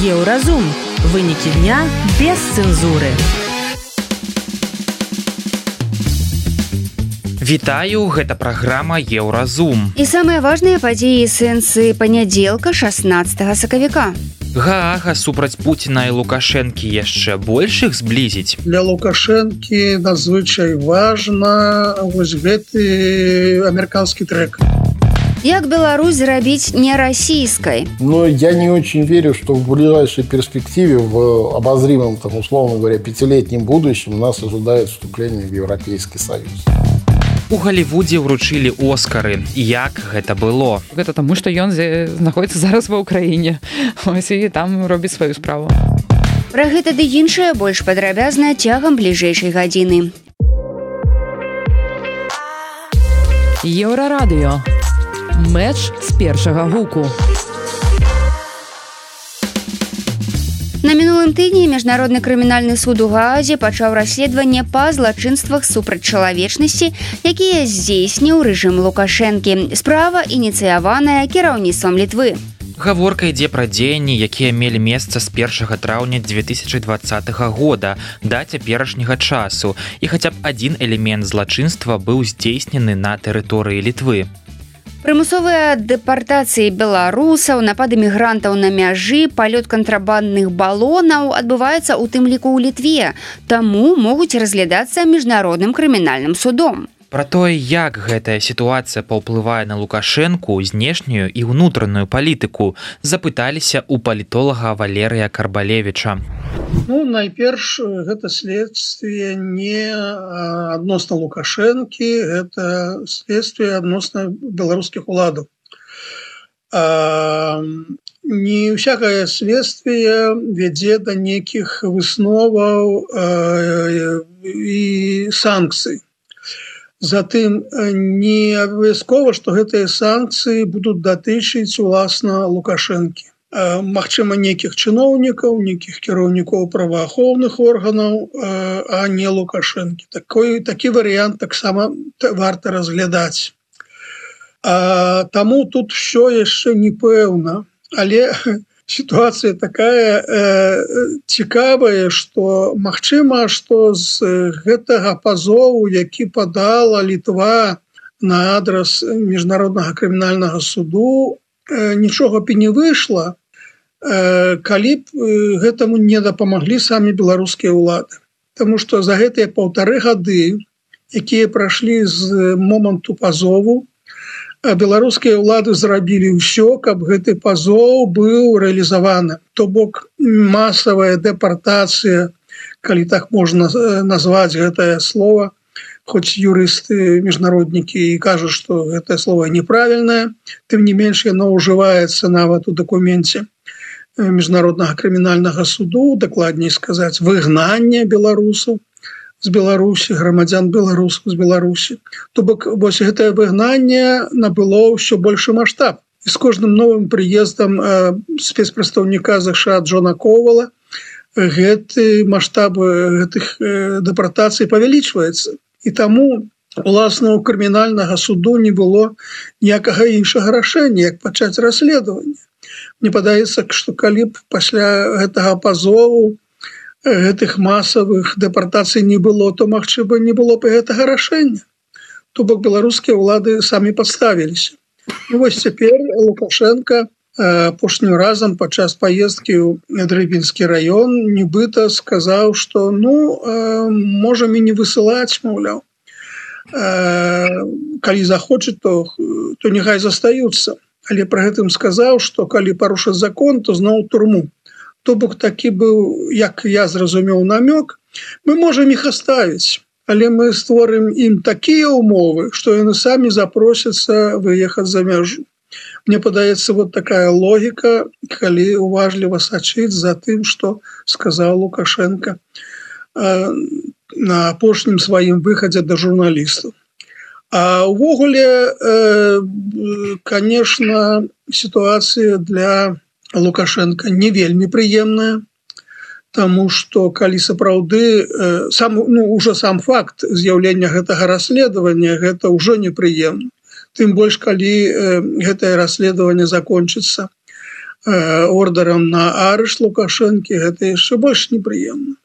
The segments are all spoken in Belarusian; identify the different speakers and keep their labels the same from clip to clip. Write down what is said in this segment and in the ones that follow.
Speaker 1: Еўразум. Вынікі дня без цэнзуры.
Speaker 2: Вітаю, гэта праграма Еўразум.
Speaker 3: І самыя важныя падзеі сэнсы панядзелка 16 сакавіка.
Speaker 2: Гаага супраць Пуціна і Лукашэнкі яшчэ больш іх зблізіць.
Speaker 4: Для Лукашэнкі надзвычай важна вось гэты амерыканскі трэк.
Speaker 3: Як Беларусь зрабіць не расійскай?
Speaker 5: Но я не очень верю, что в ближайшей перспективе, в обозримом, там, условно говоря, 5-летнем будущем нас ожидает вступление в Европейский Союз.
Speaker 2: У Галівудзе ўручылі Оскары. Як гэта было?
Speaker 6: Гэта таму, што ён знаходзіцца зараз ва ўкраіне. Ось і там робіць сваю справу.
Speaker 3: Пра гэта ды іншае больш падрабязна цягам бліжэйшай гадзіны.
Speaker 1: Еўрарадыё. Мэч з першага гуку.
Speaker 3: На мінулым тыдні Міжнародны крымінальны суд у Гаазе пачаў расследаванне па злачынствах супраць чалавечнасці, якія здзейсніў рэжым Лукашэнкі. Справа ініцыяваная кіраўніцтвам Літвы.
Speaker 2: Гаворка ідзе пра дзеянні, якія мелі месца з 1 траўня 2020 года да цяперашняга часу, і хаця б адзін элемент злачынства быў здзейснены на тэрыторыі Літвы.
Speaker 3: Прымусовыя дэпартацыі беларусаў, напады мігрантаў на мяжы, палёт кантрабандных балонаў адбываецца ў тым ліку ў Літве, таму могуць разглядацца міжнародным крымінальным судом.
Speaker 2: Пра тое, як гэтая сітуацыя паўплывае на Лукашэнку, знешнюю і ўнутраную палітыку, запыталіся ў палітолага Валерыя Карбалевіча.
Speaker 4: Найперш, гэта следствие не адносна Лукашэнкі, гэта следствие адносна беларускіх уладаў. Не всякое следствие вядзе да нейкіх высноваў і санкцый. Затым не абавязкова, што гэтыя санкцыі будуць датычыць уласна Лукашэнкі. Магчыма, нейкіх чыноўнікаў, нейкіх кіраўнікоў праваахоўных органаў, а не Лукашэнкі. Такі варыянт таксама варта разглядаць. Таму тут ўсё яшчэ не пэўна, але ситуация такая цікавая, што магчыма, што з гэтага пазову, які падала Літва на адрас Міжнароднага крымінальнага суду, нічога б і не выйшла, калі б гэтаму не дапамаглі самі беларускія ўлады. Таму што за гэтыя 1,5 гады, якія прайшлі з моманту пазову, беларускія ўлады зрабілі ўсё, каб гэты пазоў быў рэалізаваны. То бок масавая дэпартацыя, калі так можна назваць гэтае слово, хоць юрысты, міжнароднікі і кажуць, што гэтае слово неправільнае, тым не менш яно ўжываецца нават у дакуменце Міжнароднага крымінальнага суду, дакладней сказаць, выгнанне беларусаў з Беларусі, грамадзян беларусаў з Беларусі. То бок вось гэтае выгнанне набыло ўсё большы маштаб. І з кожным новым прыездам спецпрадстаўніка ЗША Джона Ковала гэты маштаб гэтых дэпартацый павялічваецца. І таму уласна у крымінальнага суду не было ніякага іншага рашэння, як пачаць расследаванне. Мне падаецца, што калі б пасля гэтага пазову гэтых масавых дэпартацый не было, то, магчыма, не было б гэтага рашэння. То бок беларускія ўлады самі падставіліся. І вось цяпер Лукашэнка апошнім разам падчас паездкі ў Дрыбінскі раён нібыта сказаў, што можам і не высылаць, маўляў. Калі захочуць, то няхай застаюцца. Але пры гэтым сказаў, што калі парушаць закон, то зноў турму. То бок такі быў, як я зразумеў, намёк. Мы можам іх аставіць, але мы створым ім такія ўмовы, што яны самі запросяцца выехаць за мяжу. Мне падаецца, вот такая логіка, калі уважліва сачыць за тым, што сказаў Лукашэнка на апошнім сваім выхадзе да журналістаў. А ўвогуле, конечно, ситуація для Лукашэнка не вельмі прыемная, таму што калі сапраўды уже сам факт з'яўлення гэтага расследавання, гэта ўжо непрыемна. Тым больш, калі гэтае расследаванне закончыцца ордерам на арышт Лукашэнкі, гэта яшчэ больш непрыемна.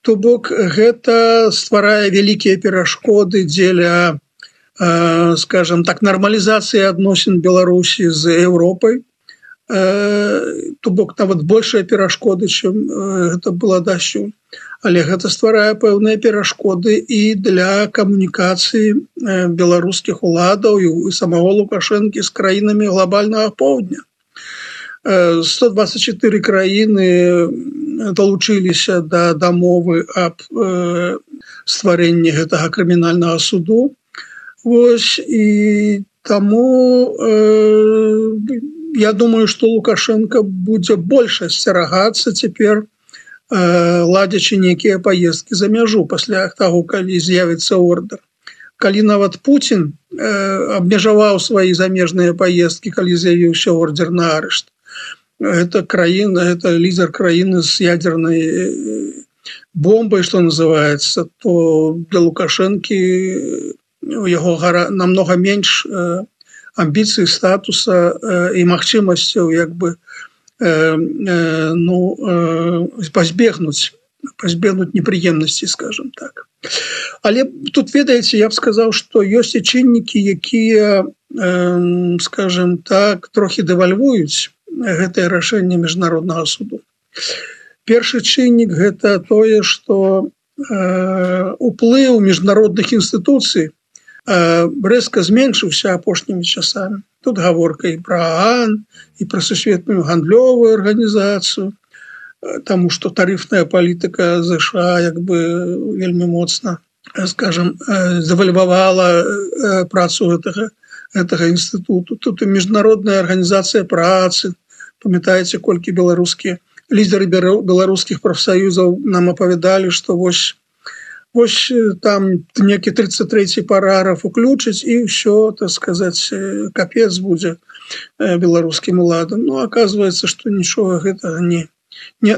Speaker 4: То бок гэта стварае вялікія перашкоды дзеля, скажем так, нармалізацыі адносін Беларусі з Еўропай. То бок нават большая перашкоды, чым гэта было дасюль. Але гэта стварае пэўныя перашкоды і для камунікацыі беларускіх уладаў і самого Лукашэнкі з краінамі глобальнага поўдня. 124 краіны далучыліся да дамовы аб стварэнні гэтага крымінальнага суду. Вось, і таму я думаю, што Лукашенко будзе больш асцерагацца цяпер, ладзячы нейкія паездкі за мяжу пасля таго, калі з'явіцца ордер. Калі нават Путін абмежаваў свае замежныя паездкі, калі з'явіўся ордер на арышт, гэта краіна, гэта лідер краіны з ядернай бомбай, што называецца, то для Лукашэнкі у яго намного менш амбіцый, статуса і магчымасцяў як бы пазбегнуць непрыемнасці, скажем так. Але тут, ведаеце, я б сказаў, што ёсць і чыннікі, якія, скажем так, трохі дэвальвуюць гэтае рашэнне міжнароднага суду. Першы чыннік гэта тое, што уплыў міжнародных інстытуцый рэзка зменшыўся апошнімі часамі. Тут гаворка і пра ААН, і пра сусветную гандлёвую арганізацыю, таму што тарыфная палітыка США як бы вельмі моцна, скажем, завальвавала працу гэтага інстытуту. Тут і міжнародная арганізацыя працы, памятаеце, колькі беларускія лідеры беларускіх прафсаюзаў нам апавядалі, што вось там некі 33-й параграф уключыць і ўсё, так сказаць, капец будзе беларускім уладам. Ну, аказваецца, што нічога гэтага не.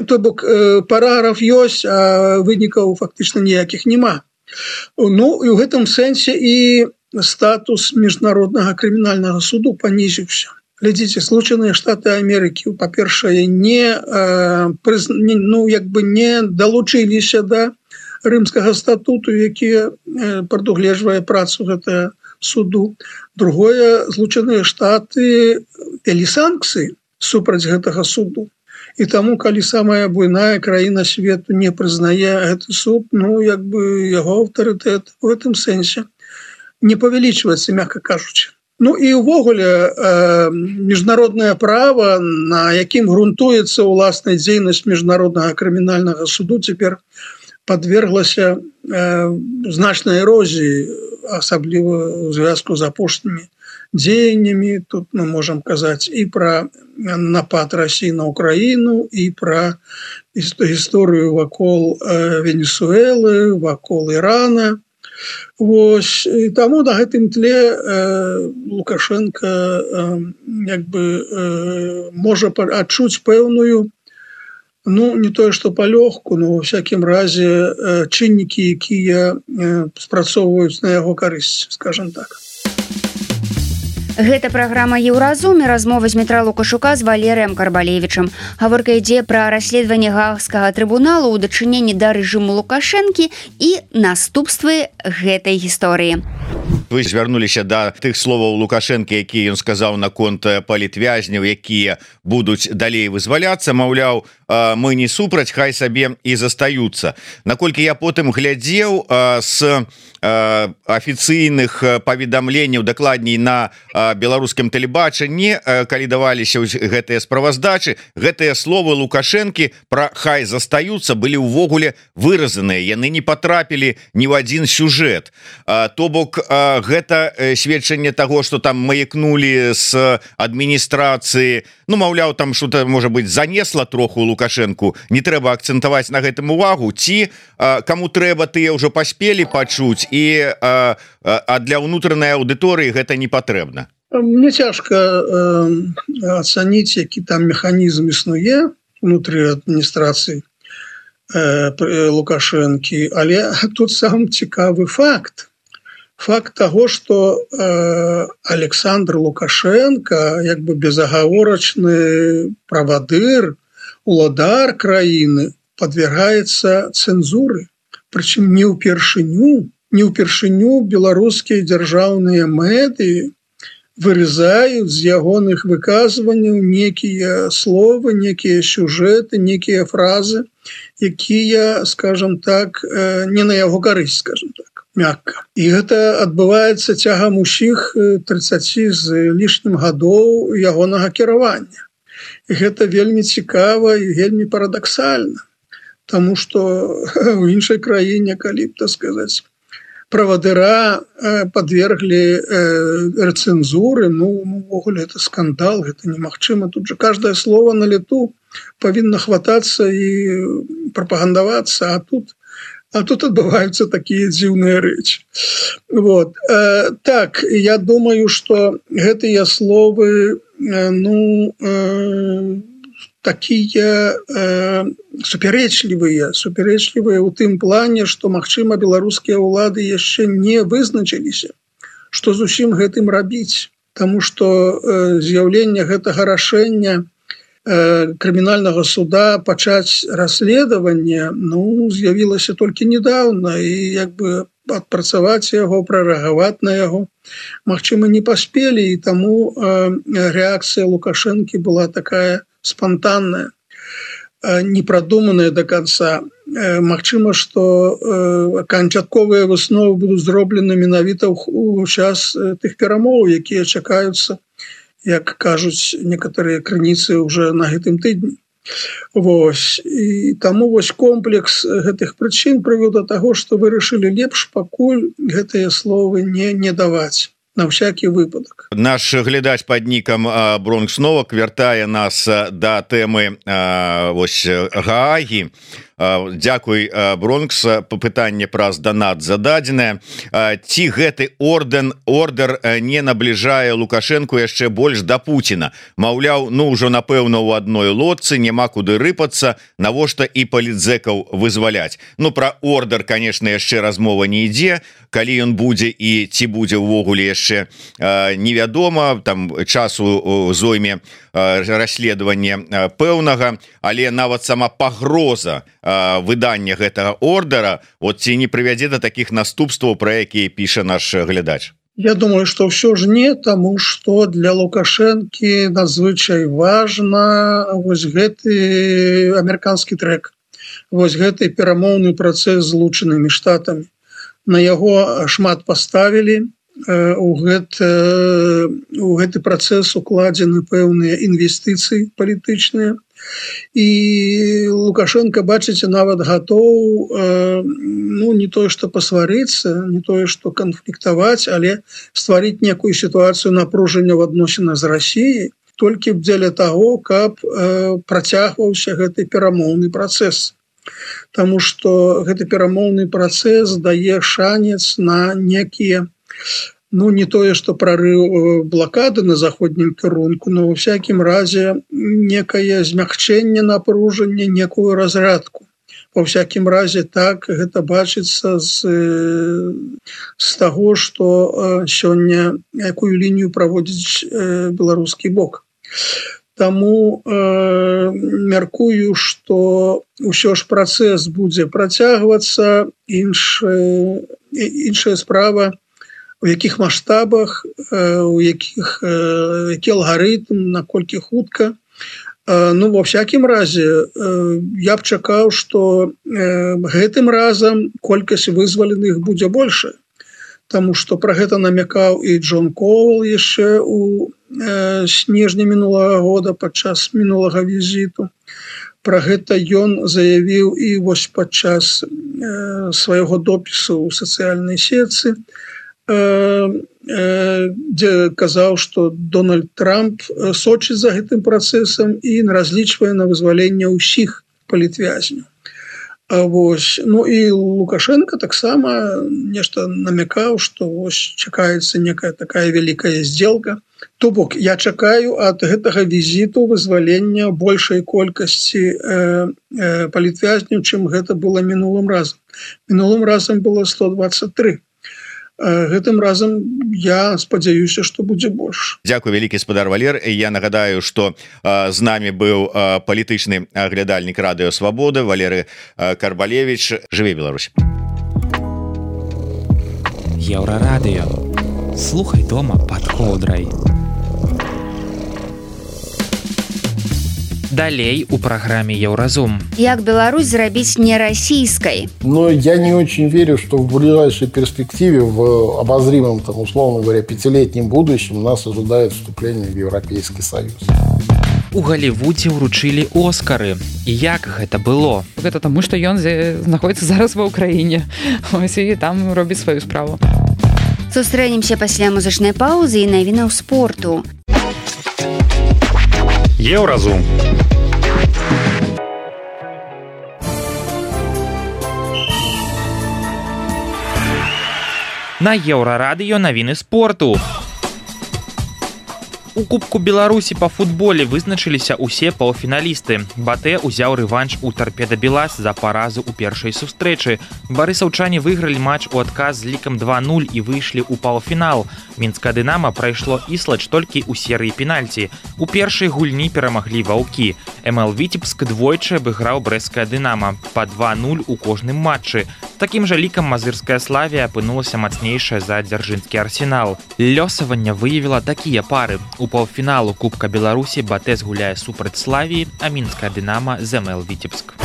Speaker 4: То бок параграф ёсць, а вынікаў фактычна ніякіх няма. Ну, і ў гэтым сэнсе і статус міжнароднага крымінальнага суду панізіўся. Глядзіце, Злучаныя Штаты Амерыкі, па-першае, не далучыліся да рымскага статуту, які прадугледжвае працу гэтага суду. Другое, Злучаныя Штаты вялі санкцыі супраць гэтага суду. І таму, калі самая буйная краіна свету не прызнае гэты суд, ну, як бы яго аўтарытэт у гэтым сэнсе не павялічваецца, мякка кажучы. Ну і ўвогуле міжнароднае права, на якім грунтуецца ўласная дзейнасць міжнароднага крымінальнага суду, цяпер подверглася значнай эрозіі, асабліва ў звязку з апошнімі дзеяннямі. Тут мы можам казаць і пра напад Расіі на Украіну, і пра гісторыю вакол Венесуэлы, вакол Ірана. Вось, і таму на гэтым тле Лукашенко як бы можа адчуць пэўную, ну, не тое, што палёгку, но, во всякім разе, чыннікі, якія спрацоўваюць на яго карысць, скажем так.
Speaker 3: Гэта праграма «Еўразум» і размова з Дмітра Лукашука з Валерыем Карбалевічам. Гаворка ідзе пра расследаванне Гаагскага трыбуналу ў дачыненні да рэжыму Лукашэнкі і наступствы гэтай гісторыі.
Speaker 7: Вы звярнуліся да тых словаў Лукашэнкі, якія ён сказаў наконт палітвязняў, якія будуць далей вызваляцца, маўляў, мы не супраць, хай сабе і застаюцца. Наколькі я потым глядзеў з афіцыйных паведамленняў, дакладней на беларускім тэлебачанні, калі даваліся гэтыя справаздачы, гэтыя словы Лукашэнкі пра хай застаюцца былі ўвогуле выразаныя, яны не патрапілі ні ў адзін сюжэт. То бок гэта сведчанне таго, што там маякнулі з адміністрацыі, ну, маўляў, там что-то, можа быць, занесла троху Лукашэнку, не трэба акцэнтаваць на гэтым увагу, ці каму трэба, тыя ўжо паспелі пачуць, і для ўнутранай аўдыторыі гэта не патрэбна.
Speaker 4: Мне цяжка ацаніць, які там механізм існуе внутры адміністрацыі Лукашэнкі, але тут сам цікавы факт, факт того, что Александр Лукашенко як бы безагаворачны правадыр, уладар краіны подвергается цензуры, причем не ўпершыню беларускія дзяржаўныя медыі вырезаюць з ягоных выказванняў некія словы, некія сюжэты, некія фразы, якія, скажем так, не на яго карысць, скажем так, мякка. І гэта адбываецца цягам усіх 30 з лішнім гадоў ягонага кіравання. І гэта вельмі цікава і вельмі парадаксальна, таму што ў іншай краіне, калі б, так сказаць, правадыра подверглі рецензуры, увогуле это скандал, гэта немагчыма. Тут же каждое слово на лету павінна хвататься і прапагандавацца, а тут адбываюцца такія дзіўныя рэчы. Вот. Так, я думаю, что гэтыя словы, такія супярэчлівыя ў тым плане, што, магчыма, беларускія ўлады яшчэ не вызначыліся, што з усім гэтым рабіць. Таму што з'яўленне гэтага рашэння крымінальнага суда пачаць расследаванне з'явілася толькі недавно, і як бы адпрацаваць яго, прарэагаваць на яго, магчыма, не паспелі, і таму рэакцыя Лукашэнкі была такая спонтанная, непрадуманая до конца. Магчыма, што канчатковыя высновы будуць зроблены менавіта ў час тых перамоў, якія чакаюцца, як кажуць некаторыя крыніцы уже на гэтым тыдні. Вось. І таму вось комплекс гэтых прычын прывёў да таго, што вырашылі лепш пакуль гэтыя словы не даваць. На всякий выпадок.
Speaker 7: Наш глядач под нікам Бронкс Новак вяртае нас да тэмы Гаагі. Дзякуй, Бронкс, пытанне праз данат зададзенае. Ці гэты ордер не набліжае Лукашэнку яшчэ больш да Пуціна? Маўляў, ўжо напэўна ў адной лодцы, няма куды рыпацца, навошта і палітзэкаў вызваляць. Пра ордер, конечно, яшчэ размова не ідзе, калі ён будзе і ці будзе ўвогуле яшчэ невядома, там часу зойме расследавання пэўнага, але нават сама пагроза выдання гэтага ордера ці не прывядзе да такіх наступстваў, пра якія піша наш глядач?
Speaker 4: Я думаю, что все ж не, тому что для Лукашэнкі надзвычай важна вось гэты амерыканскі трэк, вось гэты перамоўны працэс з Злучанымі Штатамі. На яго шмат паставілі, у гэты працэс укладзены пэўныя інвестыцыі палітычныя, і Лукашенко, бачыце, нават гатоў не тое што пасварыцца, не тое што канфліктаваць, але стварыць некую сітуацыю напружання ў адносінах з Расіяй толькі дзеля таго, каб працягваўся гэты перамоўны працэс. Таму што гэты перамоўны працэс дае шанец на некія, не тое, што прарыў блакады на заходнім кірунку, но ва всякім разе некае змягчэнне напружання, некую разрядку. Ва всякім разе так гэта бачыцца з таго, што сёння якую лінію праводзіць беларускі бок. Таму мяркую, што ўсё ж працэс будзе працягвацца, іншая справа, у якіх маштабах, які алгарытм, наколькі хутка. Ва всякім разе я б чакаў, што гэтым разам колькасць вызваленых будзе большая, таму што пра гэта намякаў і Джон Коул яшчэ у снежні мінулага года падчас мінулага візіту. Пра гэта ён заявіў і вось падчас свайго допісу ў сацыяльнай сетцы, дзе казаў, што Дональд Трамп сочыць за гэтым працэсам і разлічвае на вызваленне ўсіх палітвязняў. І Лукашенко таксама нешта намякаў, што чакаецца некая такая вялікая здзелка. То бок, я чакаю ад гэтага візіту вызвалення большай колькасці палітвязняў, чым гэта было мінулым разам. Мінулым разам было 123. гэтым разам я спадзяюся, што будзе больш.
Speaker 7: Дзякуй вялікі спадар Валер. Я нагадаю, што з намі быў палітычны аглядальнік радыё Свабода Валерый Карбалевич. Жыве Беларусь.
Speaker 2: Еўрарадыё. Слухай дома пад коўдрай. Далей у праграме Еўразум.
Speaker 3: Як Беларусь зрабіць не расійскай?
Speaker 5: Но я не очень верю, что в ближайшей перспективе, в обозримом, там, условно говоря, 5-летнем будущем нас ожидает вступление в Европейский Союз.
Speaker 2: У Галівудзе ўручылі Оскары. І як гэта было?
Speaker 6: Гэта таму, што ён знаходзіцца зараз ва Ўкраіне. Ось і там робіць сваю справу.
Speaker 3: Сустрэнемся пасля музычнай паўзы і навінаў спорту.
Speaker 8: Еўразум.
Speaker 2: На Еўрарадыё навіны спорту. У Кубку Беларусі па футболе вызначыліся ўсе паўфіналісты. Батэ ўзяў рэванш у Торпеда Белас за паразу ў першай сустрэчы. Барысаўчане выйгралі матч у адказ з лікам 2-0 і выйшлі ў паўфінал. Мінскае Дынама прайшло Іслач толькі ў серыі пенальці. У першай гульні перамаглі ваўкі. МЛ Віцебск двойчы абыграў брэсцкае Дынама па 2-0 у кожным матчы. Такім жа лікам мазырская Славія апынулася мацнейшая за дзяржынскі Арсенал. Лёсаванне выявіла такія пары. У паўфіналу Кубка Беларусі Батэ згуляе супраць Славіі, а мінскае Дынама з МЛ Віцебск.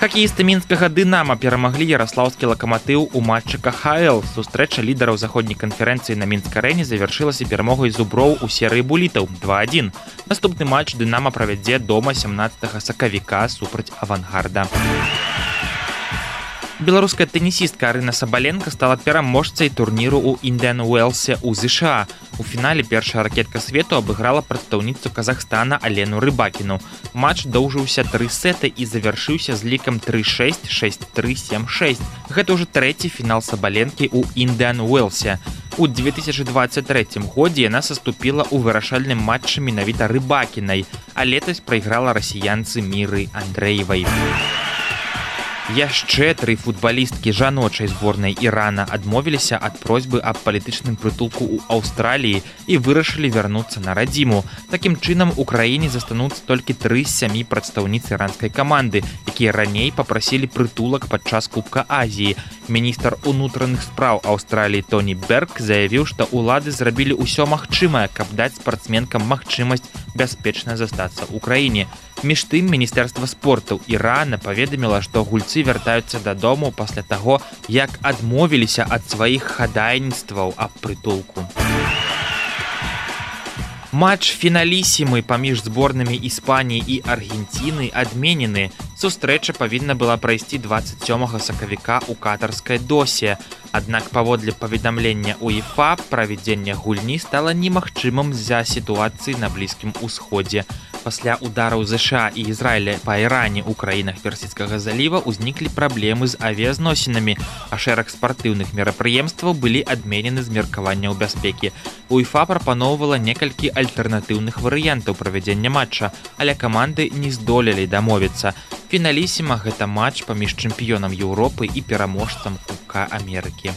Speaker 2: Хакеісты мінскага Дынама перамаглі яраслаўскі Лакаматыў у матчы КХЛ. Сустрэча лідараў заходняй канферэнцыі на Мінск-арэне завяршылася перамогай зуброў у серыі булітаў 2-1. Наступны матч Дынама правядзе дома 17 сакавіка супраць Авангарда. Беларуская тэнісістка Арына Сабаленка стала пераможцай турніру ў Індіан Уэлсе ў ЗША. У фінале першая ракетка свету абыграла прадстаўніцу Казахстана Алену Рыбакіну. Матч доўжыўся 3 сеты і завяршыўся з лікам 3-6, 6-3, 7-6. Гэта ўжо трэці фінал Сабаленкі ў Індіан Уэлсе. У 2023 годзе яна саступіла ў вырашальным матчы менавіта Рыбакінай, а летась прайграла расіянцы Міры Андрэевай. Яшчэ 3 футбалісткі жаночай зборнай Ірана адмовіліся ад просьбы аб палітычным прытулку ў Аўстраліі і вырашылі вярнуцца на радзіму. Такім чынам у краіне застануцца толькі 3 з 7 прадстаўніц іранскай каманды, якія раней папрасілі прытулак падчас Кубка Азіі. Міністр унутраных спраў Аўстраліі Тоні Берг заявіў, што ўлады зрабілі ўсё магчымае, каб даць спартсменкам магчымасць бяспечна застацца ў краіне. Між тым, Міністэрства спорту Ірана паведаміла, што гульцы вяртаюцца дадому пасля таго, як адмовіліся ад сваіх хадайніцтваў аб прытулку. Матч фіналісімы паміж зборнымі Іспаніі і Аргенціны адменены. Сустрэча павінна была прайсці 27 сакавіка ў катарскай Досе. Аднак паводле паведамлення УЕФА правядзенне гульні стала немагчымым з-за сітуацыі на Блізкім Усходзе. Пасля удараў ЗША і Ізраіля па Іране ў краінах Персідскага заліва ўзніклі праблемы з авіязносінамі, а шэраг спартыўных мерапрыемстваў былі адменены з меркаванняў бяспекі. УЕФА прапаноўвала некалькі альтэрнатыўных варыянтаў правядзення матча, але каманды не здолелі дамовіцца. Фіналісіма гэта матч паміж чэмпіёнам Еўропы і пераможцам Кубка Амерыкі.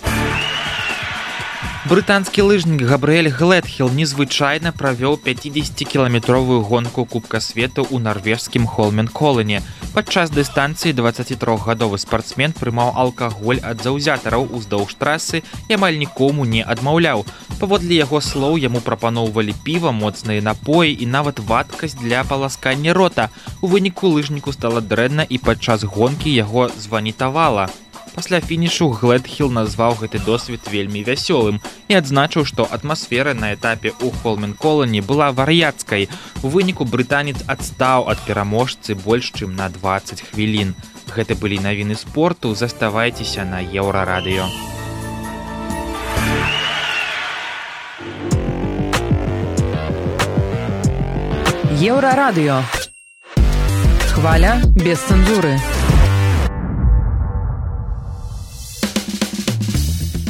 Speaker 2: Брытанскі лыжнік Габрыэль Глэдхіл незвычайна правёў 50-кіламетровую гонку Кубка свету ў нарвежскім Холменколлане. Падчас дыстанцыі 23-гадовы спартсмен прымаў алкаголь ад заўзятараў уздоўж трасы і амаль нікому не адмаўляў. Паводле яго слоў яму прапаноўвалі піва, моцныя напоі і нават вадкасць для паласкання рота. У выніку лыжніку стала дрэнна і падчас гонкі яго званітавала. Пасля фінішу Глэдхіл назваў гэты досвед вельмі вясёлым і адзначыў, што атмасфера на этапе ў Холменколлане была вар'яцкай. У выніку брытанец адстаў ад пераможцы больш чым на 20 хвілін. Гэта былі навіны спорту, заставайцеся на Еўрарадыё.
Speaker 1: Еўрарадыё. Хваля без цэнзуры.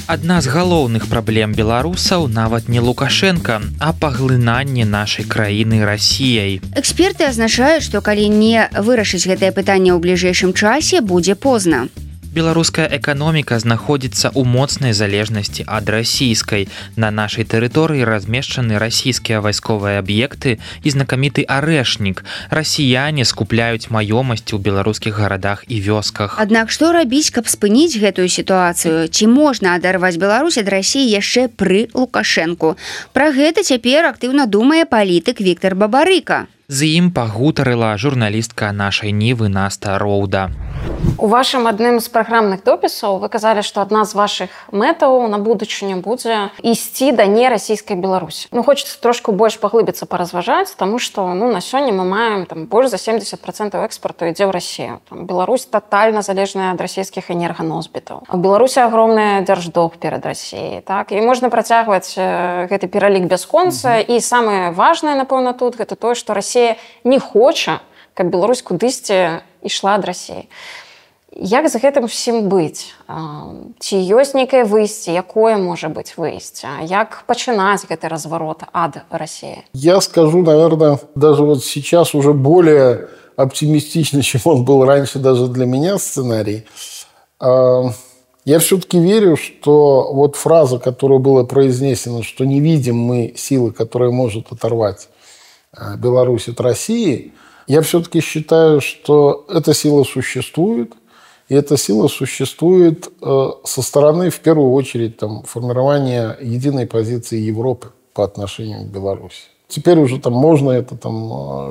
Speaker 2: Адна з галоўных праблем беларусаў нават не Лукашенка, а паглынанне нашай краіны Расіяй.
Speaker 3: Эксперты азначаюць, што калі не вырашыць гэтае пытанне ў бліжэйшым часе, будзе позна.
Speaker 2: Беларуская эканоміка знаходзіцца ў моцнай залежнасці ад расійскай. На нашай тэрыторыі размешчаны расійскія вайсковыя аб'екты і знакаміты арэшнік. Расіяне скупляюць маёмасці ў беларускіх гарадах і вёсках.
Speaker 3: Аднак што рабіць, каб спыніць гэтую сітуацыю? Ці можна адарваць Беларусь ад Расіі яшчэ пры Лукашэнку? Пра гэта цяпер актыўна думае палітык Віктор Бабарыка.
Speaker 2: З ім пагутарыла журналістка нашай Нівы Наста Роўда.
Speaker 8: У вашым адным з праграмных допісаў вы казалі, што адна з вашых мэтаў на будучыню будзе ісці да нерасійскай Беларусі. Хочацца трошку больш паглыбіцца, паразважаць, таму што на сёння мы маем больш за 70% экспарту ідзе ў Расію. Беларусь татальна залежная ад расійскіх энерганосбітаў. У Беларусі агромны дзярждолг перад Расіяй. І можна працягваць гэты пералік бясконца. І самае важнае, напэўна, тут гэта тое, што Расія не хоча, каб Беларусь кудысьці ішла ад Расіі. Як з гэтым усім быць? Ці ёсць нейкае выйсце? Якое можа быць выйсце? Як пачынаць гэты разварот ад Расіі?
Speaker 5: Я скажу, наверное, даже вот сейчас уже более оптимистично, чем он был раньше даже для меня сценарий. Я все-таки верю, что вот фраза, которая была произнесена, что не видим мы силы, которая может оторвать Беларусь от России, я все-таки считаю, что эта сила существует, и эта сила существует со стороны, в первую очередь, формирования единой позиции Европы по отношению к Беларуси. Теперь уже можно это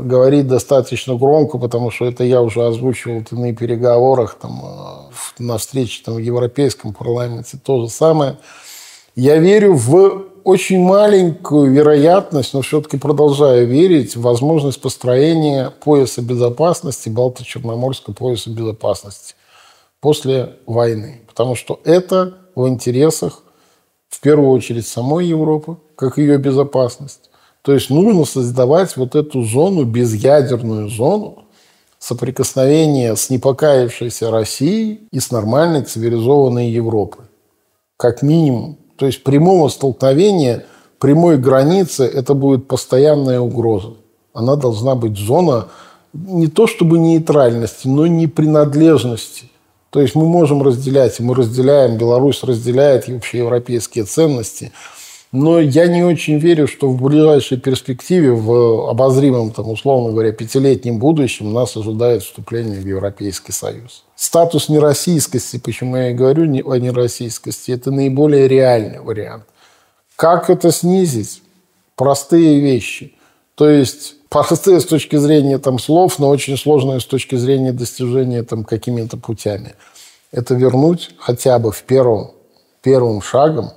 Speaker 5: говорить достаточно громко, потому что это я уже озвучивал на переговорах, на встрече в Европейском парламенте, то же самое. Я верю в очень маленькую вероятность, но все-таки продолжаю верить в возможность построения пояса безопасности, Балто-Черноморского пояса безопасности после войны. Потому что это в интересах, в первую очередь, самой Европы, как ее безопасность. То есть нужно создавать вот эту зону, безъядерную зону соприкосновения с непокаявшейся Россией и с нормальной цивилизованной Европой. Как минимум. То есть прямого столкновения, прямой границы – это будет постоянная угроза. Она должна быть зона не то чтобы нейтральности, но не принадлежности. То есть мы можем разделять, и мы разделяем, Беларусь разделяет общеевропейские ценности, но я не очень верю, что в ближайшей перспективе, в обозримом, условно говоря, 5-летнем будущем нас ожидает вступление в Европейский Союз. Статус нероссийскости, почему я и говорю о нероссийскости, это наиболее реальный вариант. Как это снизить? Простые вещи. То есть простые с точки зрения слов, но очень сложные с точки зрения достижения какими-то путями. Это вернуть хотя бы первым шагом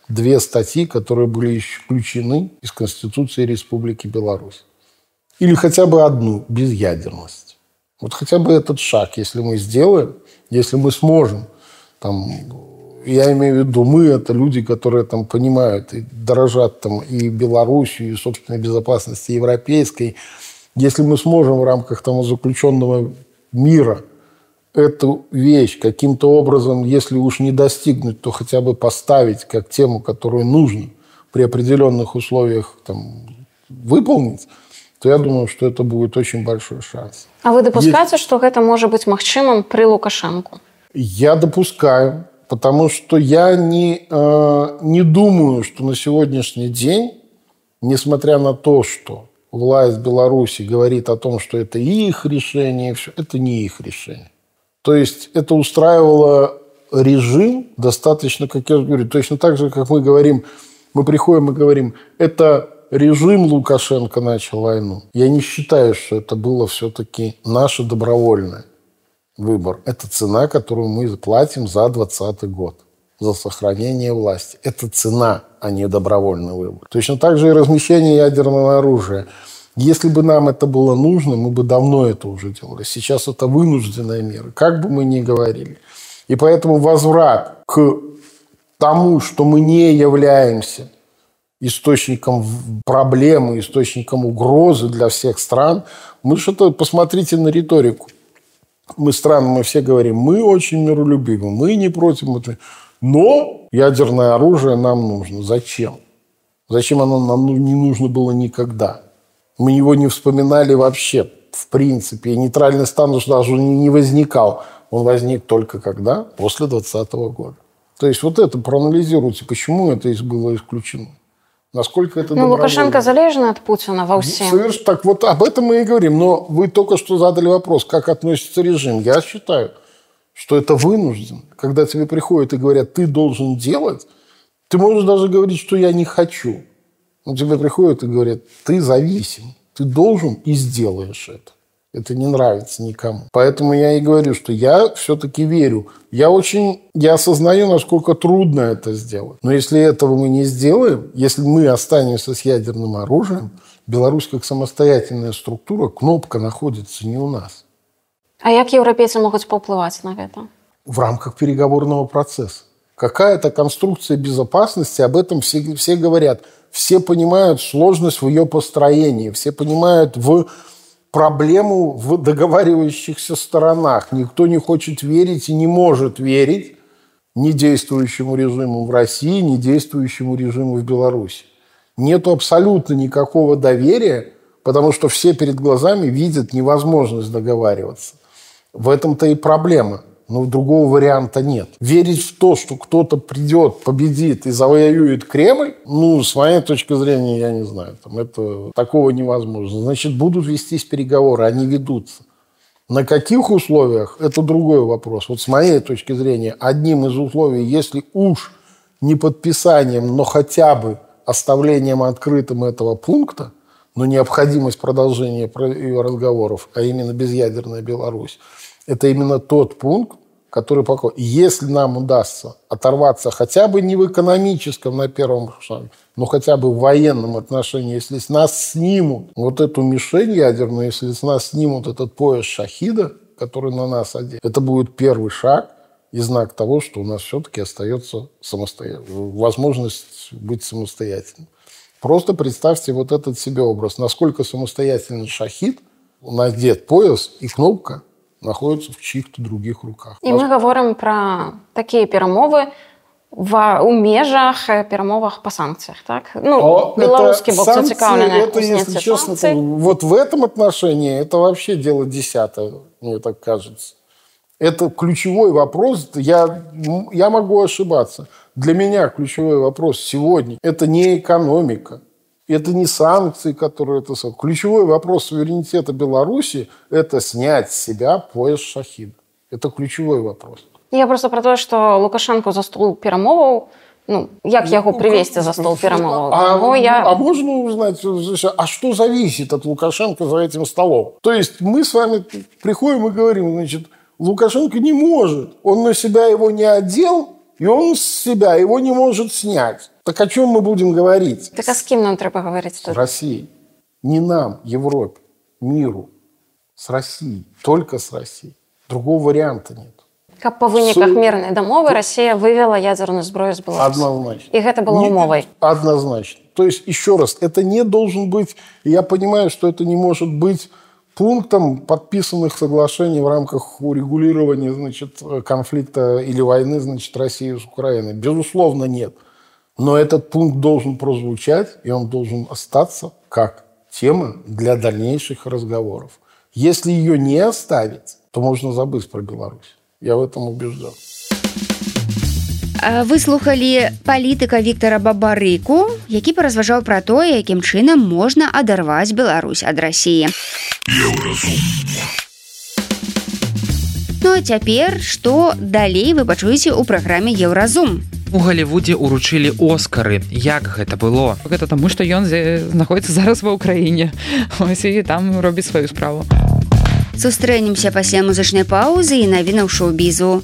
Speaker 5: 2 статьи, которые были исключены из Конституции Республики Беларусь. Или хотя бы одну – безъядерность. Вот хотя бы этот шаг, если мы сделаем, если мы сможем, я имею в виду, мы – это люди, которые понимают и дорожат и Белоруссию, и собственной безопасности европейской. Если мы сможем в рамках заключенного мира эту вещь каким-то образом, если уж не достигнуть, то хотя бы поставить как тему, которую нужно при определенных условиях выполнить, то я думаю, что это будет очень большой шанс.
Speaker 8: А вы допускаете, что это может быть магчымым при Лукашенко?
Speaker 5: Я допускаю, потому что я не думаю, что на сегодняшний день, несмотря на то, что власть Беларуси говорит о том, что это их решение, это не их решение. То есть это устраивало режим достаточно, как я говорю, точно так же, как мы говорим, мы приходим и говорим, это режим Лукашенко начал войну. Я не считаю, что это было все-таки наше добровольное выбор. Это цена, которую мы платим за 2020 год, за сохранение власти. Это цена, а не добровольный выбор. Точно так же и размещение ядерного оружия. Если бы нам это было нужно, мы бы давно это уже делали. Сейчас это вынужденная мера, как бы мы ни говорили. И поэтому возврат к тому, что мы не являемся источником проблемы, источником угрозы для всех стран, посмотрите на риторику. Мы все говорим, мы очень миролюбивы, мы не против, но ядерное оружие нам нужно. Зачем? Зачем оно нам не нужно было никогда? Мы его не вспоминали вообще в принципе, нейтральный статус даже не возникал. Он возник только когда? После 2020 года. То есть вот это проанализируйте, почему это было исключено. Насколько это добровольно.
Speaker 8: Лукашенко залежен от Путина во всем.
Speaker 5: Совершенно так. Вот об этом мы и говорим. Но вы только что задали вопрос, как относится режим. Я считаю, что это вынужден. Когда тебе приходят и говорят, ты должен делать, ты можешь даже говорить, что я не хочу. Но тебе приходят и говорят, ты зависим. Ты должен и сделаешь это. Это не нравится никому. Поэтому я и говорю, что я все-таки верю. Я осознаю, насколько трудно это сделать. Но если этого мы не сделаем, если мы останемся с ядерным оружием, Беларусь как самостоятельная структура, кнопка находится не у нас.
Speaker 8: А как европейцы могут повлиять на это?
Speaker 5: В рамках переговорного процесса. Какая-то конструкция безопасности, об этом все говорят. Все понимают сложность в ее построении. Все понимают проблему в договаривающихся сторонах. Никто не хочет верить и не может верить ни действующему режиму в России, ни действующему режиму в Беларуси. Нету абсолютно никакого доверия, потому что все перед глазами видят невозможность договариваться. В этом-то и проблема. Но другого варианта нет. Верить в то, что кто-то придет, победит и завоюет Кремль, с моей точки зрения, я не знаю. Такого невозможно. Значит, будут вестись переговоры, они ведутся. На каких условиях, это другой вопрос. Вот с моей точки зрения, одним из условий, если уж не подписанием, но хотя бы оставлением открытым этого пункта, но необходимость продолжения ее разговоров, а именно безъядерная Беларусь, это именно тот пункт, который пока... Если нам удастся оторваться хотя бы не в экономическом на первом шаге, но хотя бы в военном отношении, если с нас снимут вот эту мишень ядерную, если с нас снимут этот пояс шахида, который на нас одет, это будет первый шаг и знак того, что у нас все-таки остается возможность быть самостоятельным. Просто представьте вот этот себе образ. Насколько самостоятельный шахид, надет пояс и кнопка находятся в чьих-то других руках.
Speaker 8: І ми говоримо про такі перемови у межах перемовах по санкціях, так? Белорусский бок зацікавлений у снятии санкций.
Speaker 5: Вот в этом отношении это вообще дело десятое, мне так кажется. Это ключевой вопрос. Я могу ошибаться. Для меня ключевой вопрос сегодня – это не экономика. Это не санкции, которые... Ключевой вопрос суверенитета Беларуси – это снять с себя пояс шахида. Это ключевой вопрос.
Speaker 8: Я просто про то, что Лукашенко за стол перемоваў, як яго привести за стол перемоваў?
Speaker 5: А можно узнать, а что зависит от Лукашенко за этим столом? То есть мы с вами приходим и говорим, значит, Лукашенко не может, он на себя его не одел, и он с себя его не может снять. Так о чем мы будем говорить?
Speaker 8: Так а с кем нам треба говорить?
Speaker 5: С Россией. Не нам, Европе, миру. С Россией. Только с Россией. Другого варианта нет.
Speaker 8: Как по выніках мирной дамовы Россия вывела ядерную зброю с Беларуси.
Speaker 5: Однозначно.
Speaker 8: И это было умовой.
Speaker 5: Однозначно. То есть, еще раз, это не должен быть... Я понимаю, что это не может быть пунктом подписанных соглашений в рамках урегулирования, конфликта или войны, России с Украиной. Безусловно, нет. Но этот пункт должен прозвучать, и он должен остаться как тема для дальнейших разговоров. Если ее не оставить, то можно забыть про Беларусь. Я в этом убежден.
Speaker 3: Вы слухали палітыка Віктара Бабарыку, які паразважаў пра тое, якім чынам можна адарваць Беларусь ад Расіі. Ну а цяпер, што далей вы пачуеце ў праграме Еўразум.
Speaker 2: У Галівудзе ўручылі Оскары. Як гэта было?
Speaker 6: Гэта таму, што ён знаходзіцца зараз ва Ўкраіне. І там робіць сваю справу.
Speaker 3: Сустрэнемся пасля музычнай паўзы і навінаў шоу-бізу.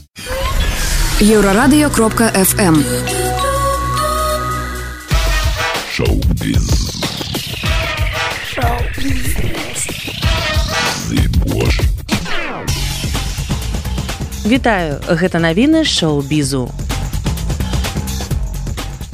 Speaker 1: Еврорадио.фм
Speaker 9: Шоу-біз.
Speaker 1: Вітаю, гэта навіны шоу-бізу.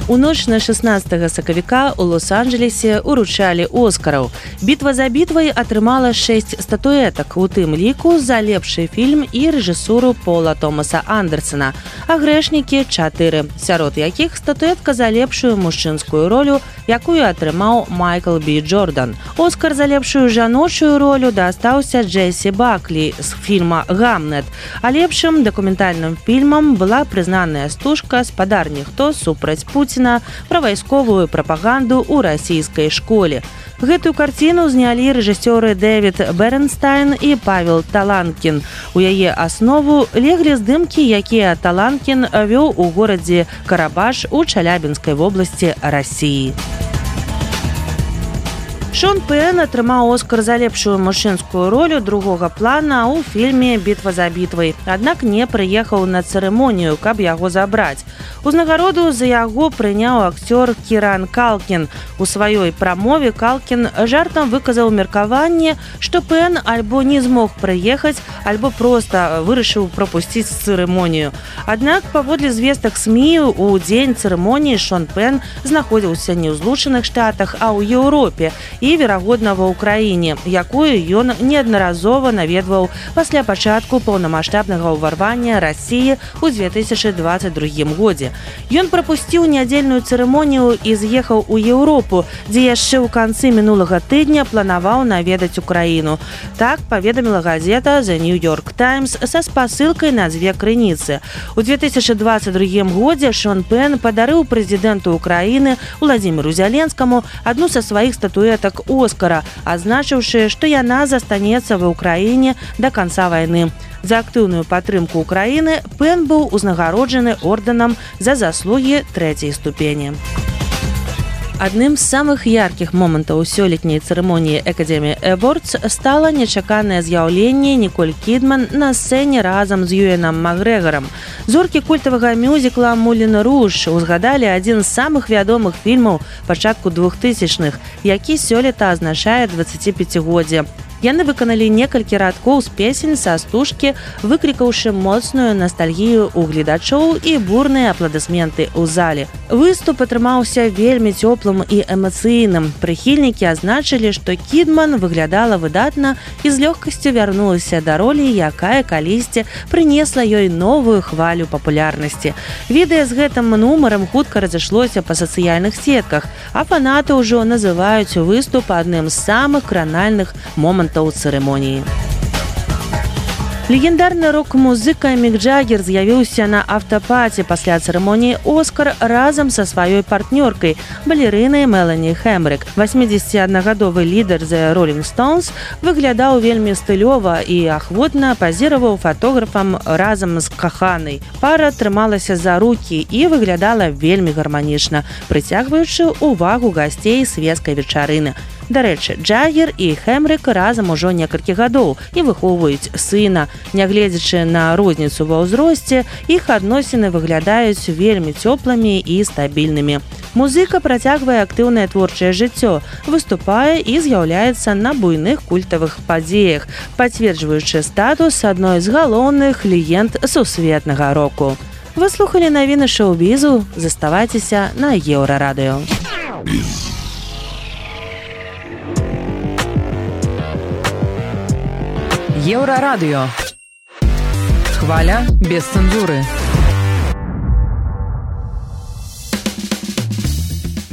Speaker 1: У ноч на 16 сакавіка у Лос-Анджелесе уручалі Оскараў. «Бітва за бітвай» атрымала 6 статуэтак, у тым ліку за лепшы фільм і рэжысуру Пола Томаса Андерсена, а «Грэшнікі» 4, сярод якіх статуэтка за лепшую мужчынскую ролю, якую атрымаў Майкл Бі Джордан. Оскар за лепшую жаночую ролю дастаўся Джесі Баклі з фільма «Гамнет», а лепшым дакументальным фільмам была прызнаная стужка «Спадар ніхто супраць Пуціна» пра вайсковую прапаганду ў расійскай школе. Гэтую карціну знялі рэжысёры Дэвід Бернстайн і Павел Таланкін. У яе аснову леглі здымкі, якія Таланкін вёў у горадзе Карабаш у Чалябінскай вобласці Расіі. Шон Пен атрымаў Оскар за лепшую мужчынскую ролю другога плана ў фільме «Бітва за бітвай», аднак не прыехаў на цырымонію, каб яго забраць. Узнагароду за яго прыняў акцёр Кіран Калкін. У сваёй прамове Калкін жартам выказаў меркаванне, што Пен альбо не змог прыехаць, альбо проста вырашыў прапусціць цырымонію. Аднак, паводле звестак СМІ, у дзень цырымоніі Шон Пен знаходзіўся не ў Злучаных Штатах, а ў Еўропе і, верагодна, ва ўкраіне, якую ён неаднаразова наведваў пасля пачатку паўнамаштабнага ўварвання Расіі ў 2022 годзе. Ён прапусціў нядзельную цырымонію і з'ехаў у Еўропу, дзе яшчэ ў канцы мінулага тыдня планаваў наведаць Украіну. Так паведаміла газета The New York Times са спасылкай на дзве крыніцы. У 2022 годзе Шон Пен падарыў прэзідэнту Украіны Владзіміру Зяленскаму адну са сваіх статуэтак Оскара, азначыўшы, што яна застанецца ва Ўкраіне да канца вайны. За актыўную падтрымку Украіны Пен быў узнагароджаны ордэнам за заслугі 3-й ступені. Адным з самых яркіх момантаў сёлетняй цырымоніі Academy Awards стала нечаканае з'яўленне Ніколь Кідман на сцэне разам з Юэнам Макгрэгорам. Зоркі культавага мюзікла «Мулен Руж» узгадалі адзін з самых вядомых фільмаў пачатку 2000-х, які сёлета азначае 25-годдзе. Яны выканалі некалькі радкоў з песень са стужкі, выклікаўшы моцную ностальгію ў гледачоў і бурныя апладысменты ў зале. Выступ атрымаўся вельмі цёплым і эмацыйным. Прыхільнікі азначылі, што Кідман выглядала выдатна і з лёгкасцю вярнулася да ролі, якая калісьці прынесла ёй новую хвалю папулярнасці. Відэа з гэтым нумарам хутка разышлося па сацыяльных сетках, а фанаты ўжо называюць выступ адным з самых кранальных момантаў у цырымоніі. Легендарны рок-музыка Мік Джаггер з'явіўся на аўтапаці пасля цырымоніі «Оскар» разам са сваёй партнёркай, балерынай Мелані Хэмрик. 81-гадовы лідар The Rolling Stones выглядаў вельмі стылёва і ахвотна пазіраваў фатографам разам з каханай. Пара трымалася за рукі і выглядала вельмі гарманічна, прыцягваючы ўвагу гасцей свецкай вечарыны. Дарэчы, Джаггер і Хэмрик разам ужо некалькі гадоў і выхоўваюць сына. Нягледзячы на розніцу ва ўзросце, іх адносіны выглядаюць вельмі цёплымі і стабільнымі. Музыка працягвае актыўнае творчае жыццё, выступае і з'яўляецца на буйных культавых падзеях, пацверджваючы статус адной з галоўных легенд сусветнага року. Вы слухалі навіны шоу-бізу, заставайцеся на Еўрарадыё.
Speaker 6: Еўрарадыё. Хваля без цэнзуры.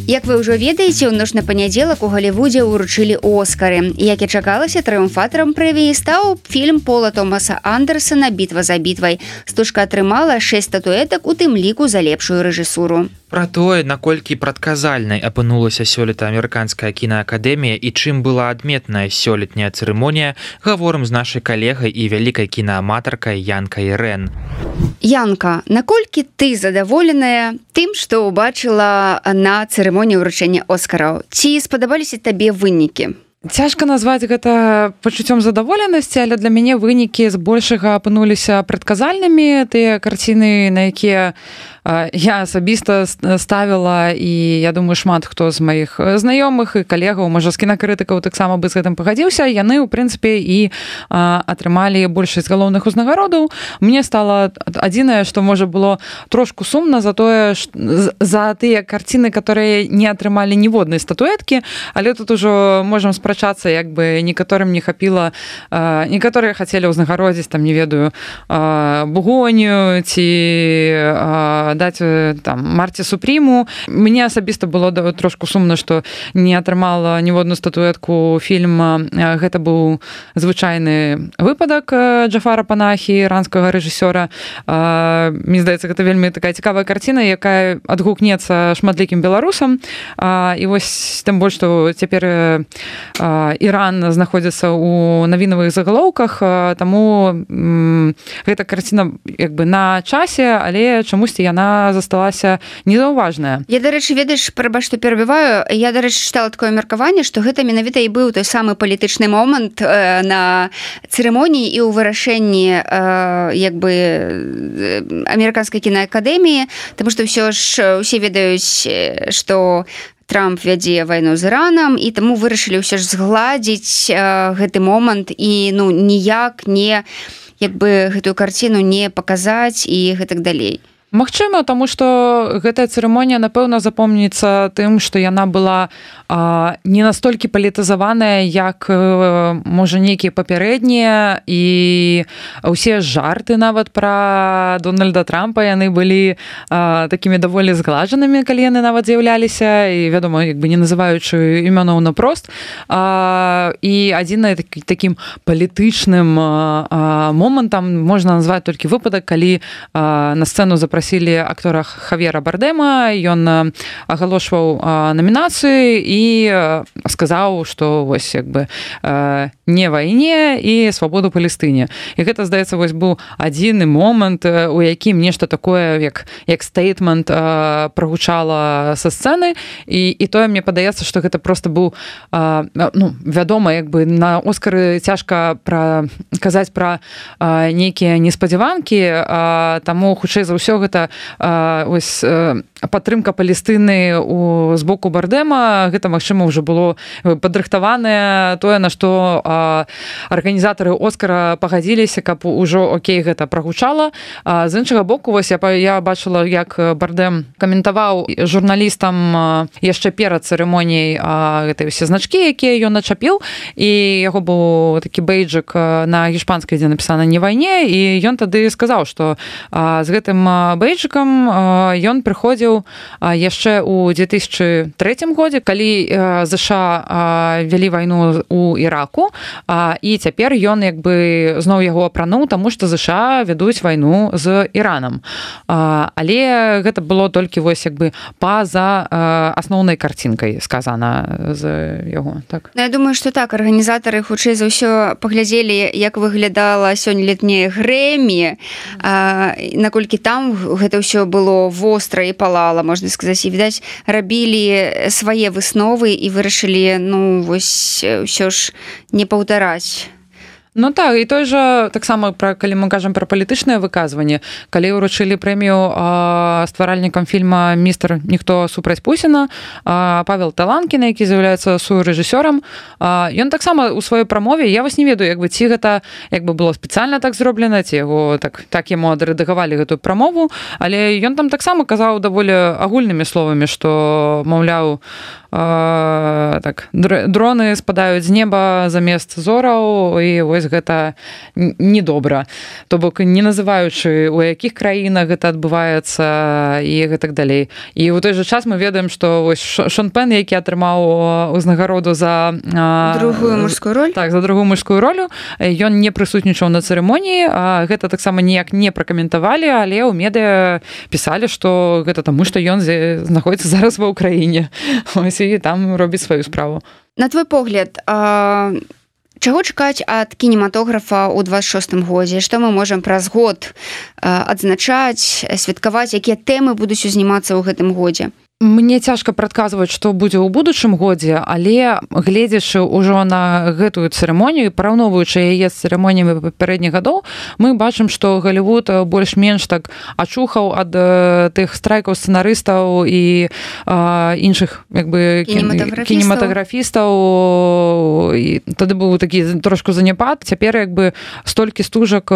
Speaker 3: Як вы ўжо ведаеце, у ноч на панядзелак у Галівудзе ўручылі Оскары. Як і чакалася, трыумфатарам прэміі стаў фільм Пола Томаса Андерсена «Бітва за бітвай». Стужка атрымала 6 статуэтак, у тым ліку за лепшую рэжысуру.
Speaker 2: Пра тое, наколькі прадказальнай апынулася сёлета амерыканская кінаакадэмія і чым была адметная сёлетняя цырымонія, гаворым з нашай калегай і вялікай кінааматаркай Янкай Рэн.
Speaker 3: Янка, наколькі ты задаволеная тым, што ўбачыла на цырымоніі ўручэння Оскараў? Ці спадабаліся табе вынікі?
Speaker 6: Цяжка назваць гэта пачуццём задаволенасці, але для мяне вынікі збольшага апынуліся прадказальнымі. Тыя карціны, на якія я асабіста ставіла, і я думаю, шмат хто з маіх знаёмых і калегаў, можа, з кінакрытыкаў таксама бы з гэтым пагадзіўся, яны, у прынцыпе, і атрымалі большасць галоўных узнагародаў. Мне стала адзінае, што, можа, было трошку сумна за тое, за тыя карціны, которые не атрымалі ніводнай статуэткі, але тут ужо можам спрачацца, як бы некаторым не хапіла, некаторыя хацелі ўзнагародзіць, там, не ведаю, Бугонію ці даць там Марці Супріму. Мне асабіста было трошку сумна, што не атрымала ніводную статуэтку фільм. Гэта быў звычайны выпадак Джафара Панахі, іранскага рэжысёра. Мне здаецца, гэта вельмі такая цікавая карціна, якая адгукнецца шматлікім беларусам. І вось тым больш, што цяпер Іран знаходзіцца ў навінавых загалоўках, таму гэта карціна як бы на часе, але чамусьці яна засталася незаўважная.
Speaker 3: Я, дарэчы, ведаеш, прабач, што перабіваю, я, дарэчы, чытала такое меркаванне, што гэта менавіта і быў той самы палітычны момант на цырымоніі і ў вырашэнні як бы амерыканскай кінаакадэміі, таму што ўсё ж усе ведаюць, што Трамп вядзе вайну з Іранам, і таму вырашылі ўсё ж згладзіць гэты момант і ніяк не як бы гэтую карціну не паказаць і гэтак далей.
Speaker 6: Магчыма, таму што гэтая цырымонія, напэўна, запомніцца тым, што яна была не настолькі палітызаваная, як, можа, нейкія папярэднія, і ўсе жарты нават пра Дональда Трампа, яны былі такімі даволі згладжанымі, калі яны нават з'яўляліся, і, вядома, як бы не называючы імёнаў наўпрост. І адзінае такім палітычным момантам можна назваць толькі выпадак, калі на сцэну запрасілі актора Хавьера Бардема, ён агалошваў намінацыю і сказаў, што вось як бы не вайне і свабоду Палестыне. І гэта, здаецца, вось быў адзіны момант, у якім нешта такое, як стейтмент прагучала са сцэны, і тое мне падаецца, што гэта проста быў, вядома, як бы на Оскары цяжка казаць пра нейкія неспадзяванкі, таму хутчэй за ўсё гэта ось падтрымка Палестыны з боку Бардема, гэта, магчыма, ўжо было падрыхтаванае тое, на што арганізатары Оскара пагадзіліся, каб ужо окей гэта прагучала. З іншага боку, вось я бачыла, як Бардем каментаваў журналістам яшчэ перад цырымоніяй гэтай усе значкі, якія ён начапіў, і яго быў такі бейджик на гішпанскай, дзе напісана «Не вайне», і ён тады сказаў, што з гэтым бейджикам ён прыходзіў яшчэ ў 2003 годзе, калі ЗША вялі вайну ў Іраку, і цяпер ён як бы зноў яго апрануў, таму што ЗША вядуць вайну з Іранам. Але гэта было толькі вось як бы па-за асноўнай карцінкай сказана з яго. Так?
Speaker 3: Я думаю, што так, арганізатары хутчэй за ўсё паглядзелі, як выглядала сёння летняе Грэмі, наколькі там гэта ўсё было востра і палала, можна сказаць, і, відаць, рабілі свае высновы і вырашылі, вось, ўсё ж не паўтараць.
Speaker 6: Ну так, і той жа, таксама, калі мы кажам пра палітычнае выказванне, калі ўручылі прэмію стваральнікам фільма «Містер Ніхто супраць Пусіна», Павел Таланкін, які з'яўляецца сурэжысёрам, ён таксама ў сваёй прамове, я вось не ведаю, як бы ці гэта як бы было спецыяльна так зроблена, ці яго так яму адрэдагавалі гэтую прамову, але ён там таксама казаў даволі агульнымі словамі, што, маўляў, так, дроны спадаюць з неба замест зораў, і вось гэта недобра. То бок, не называючы, у якіх краінах гэта адбываецца і гэтак далей. І ў той жа час мы ведаем, што вось Шон Пен, які атрымаў узнагароду за
Speaker 3: другую мужскую роль.
Speaker 6: Так, за другую мужскую ролю, ён не прысутнічаў на цырымоніі, гэта таксама ніяк не пракаментавалі, але ў медыа пісалі, што гэта таму, што ён знаходзіцца зараз ва ўкраіне. Ось, і там робіць сваю справу.
Speaker 3: На твой погляд, чаго чакаць ад кінематографа ў 26-м годзе? Што мы можам праз год адзначаць, святкаваць, якія тэмы будуць узнімацца ў гэтым годзе?
Speaker 6: Мне цяжка прадказваць, што будзе ў будучым годзе, але гледзячы ўжо на гэтую цырымонію, параўноўваючы яе з цырымоніямі папярэдніх гадоў, мы бачым, што Галівуд больш-менш так ачухаў ад тых страйкаў сцэнарыстаў і іншых кінематаграфістаў. І тады быў такі трошку заняпад. Цяпер столькі стужак,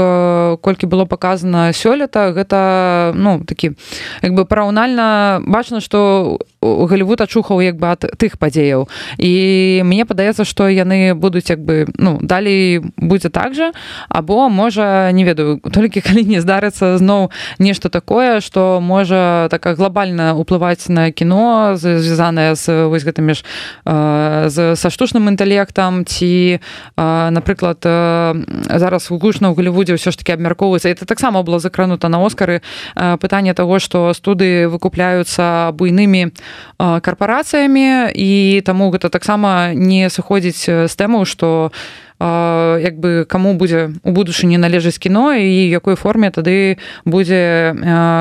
Speaker 6: колькі было паказана сёлета, гэта такі параўнальна бачна, што Галівуд ачухаў ад тых падзеяў. І мне падаецца, што яны будуць далей будзе так жа, або можа, не ведаю, толькі калі не здарыцца зноў нешта такое, што можа така глобальна ўплываць на кіно, звязанае з вось гэтымі ж са штучным інтэлектам, ці, напрыклад, зараз гучна ў Галівудзе ўсё ж такі абмяркоўваецца. Это таксама было закранута на Оскары пытанне таго, што студыі выкупляюцца буйнымі карпарацыямі, і таму гэта таксама не сыходзіць з тэмаў, што каму будзе у будучыні належыць кіно і якой форме тады будзе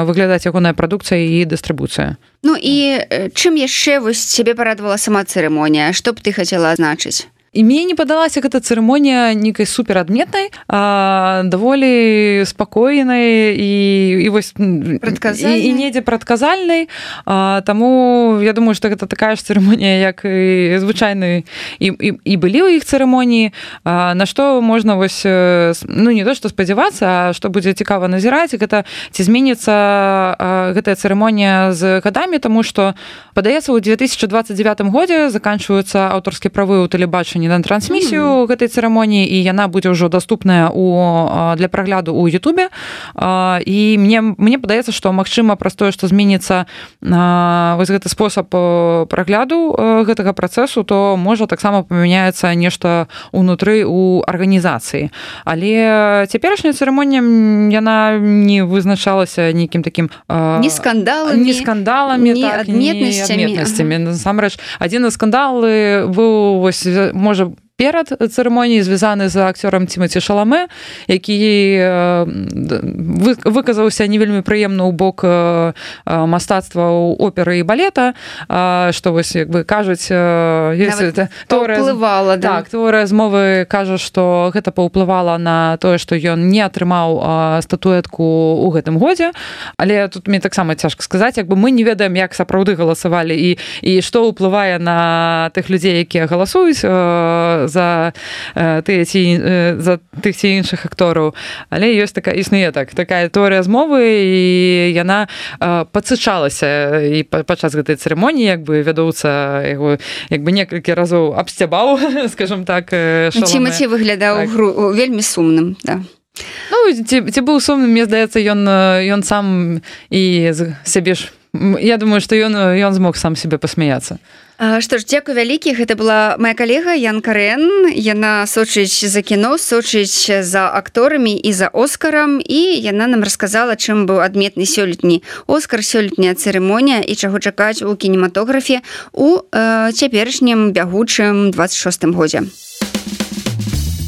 Speaker 6: выглядаць ягоная прадукцыя і дыстрыбуцыя.
Speaker 3: Ну і чым яшчэ вось цябе парадавала сама цырымонія? Што б ты хацела азначыць?
Speaker 6: І мне не падалася гэта цырымонія нейкай суперадметнай, даволі спакойнай і вось і недзе прадказальнай. Таму я думаю, што гэта такая ж цырымонія, як і звычайны і былі ў іх цырымоніі, на што можна вось не то што спадзявацца, а што будзе цікава назіраць, гэта ці зменіцца гэтая цырымонія з гадамі, таму што падаецца, у 2029 годзе заканчваюцца аўтарскія правы ў тэлебачанні на трансмісію гэтай цырымоніі, і яна будзе ўжо даступная для прагляду ў Ютубе. І мне падаецца, што магчыма праз тое, што зменіцца вось гэты спосаб прагляду гэтага працэсу, то можа таксама памяняецца нешта ўнутры ў арганізацыі. Але цяперашняя цырымонія, яна не вызначалася нейкім такім
Speaker 3: ні скандаламі,
Speaker 6: ні адметнасцямі. Насамрэч, адзін з скандалы быў вось можа перад цырымоніяй, звязаны з акцёрам Тимати Шаламе, які выказаўся не вельмі прыемна ў бок мастацтва оперы і балета, што вось кажуць, тэорыя змовы кажа, што гэта паўплывала на тое, што ён не атрымаў статуэтку ў гэтым годзе. Але тут мне таксама цяжка сказаць, мы не ведаем, як сапраўды галасавалі і што ўплывае на тых людзей, якія галасуюць за тых ці іншых актораў. Але існуе такая тэорыя змовы, і яна падсычалася і падчас гэтай цырымоніі, вядоўца яго некалькі разоў абсцябаў, скажам так, Шаламе.
Speaker 3: Тимати выглядаў вельмі сумным, да.
Speaker 6: Ці быў сумным, мне здаецца, ён сам і сябе ж, я думаю, што ён змог сам себе пасмяяцца.
Speaker 3: Што ж, дзякуй вялікі, гэта была моя калега Янка Рэн. Яна сочыць за кіно, сочыць за акторамі і за Оскарам, і яна нам расказала, чым быў адметны сёлетні Оскар, сёлетняя цырымонія і чаго чакаць у кінематографе у цяперашнім бягучым 26-м годзе.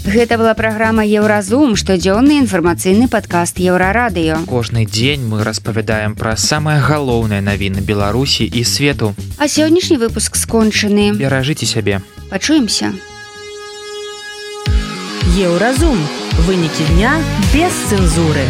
Speaker 3: Гэта была праграма Еўразум, штодзённы інфармацыйны падкаст Еўрарадыё.
Speaker 2: Кожны дзень мы распавядаем пра самыя галоўныя навіны Беларусі і свету.
Speaker 3: А сённяшні выпуск скончаны.
Speaker 2: Беражыце сябе.
Speaker 3: Пачуемся.
Speaker 1: Еўразум. Вынікі дня без цэнзуры.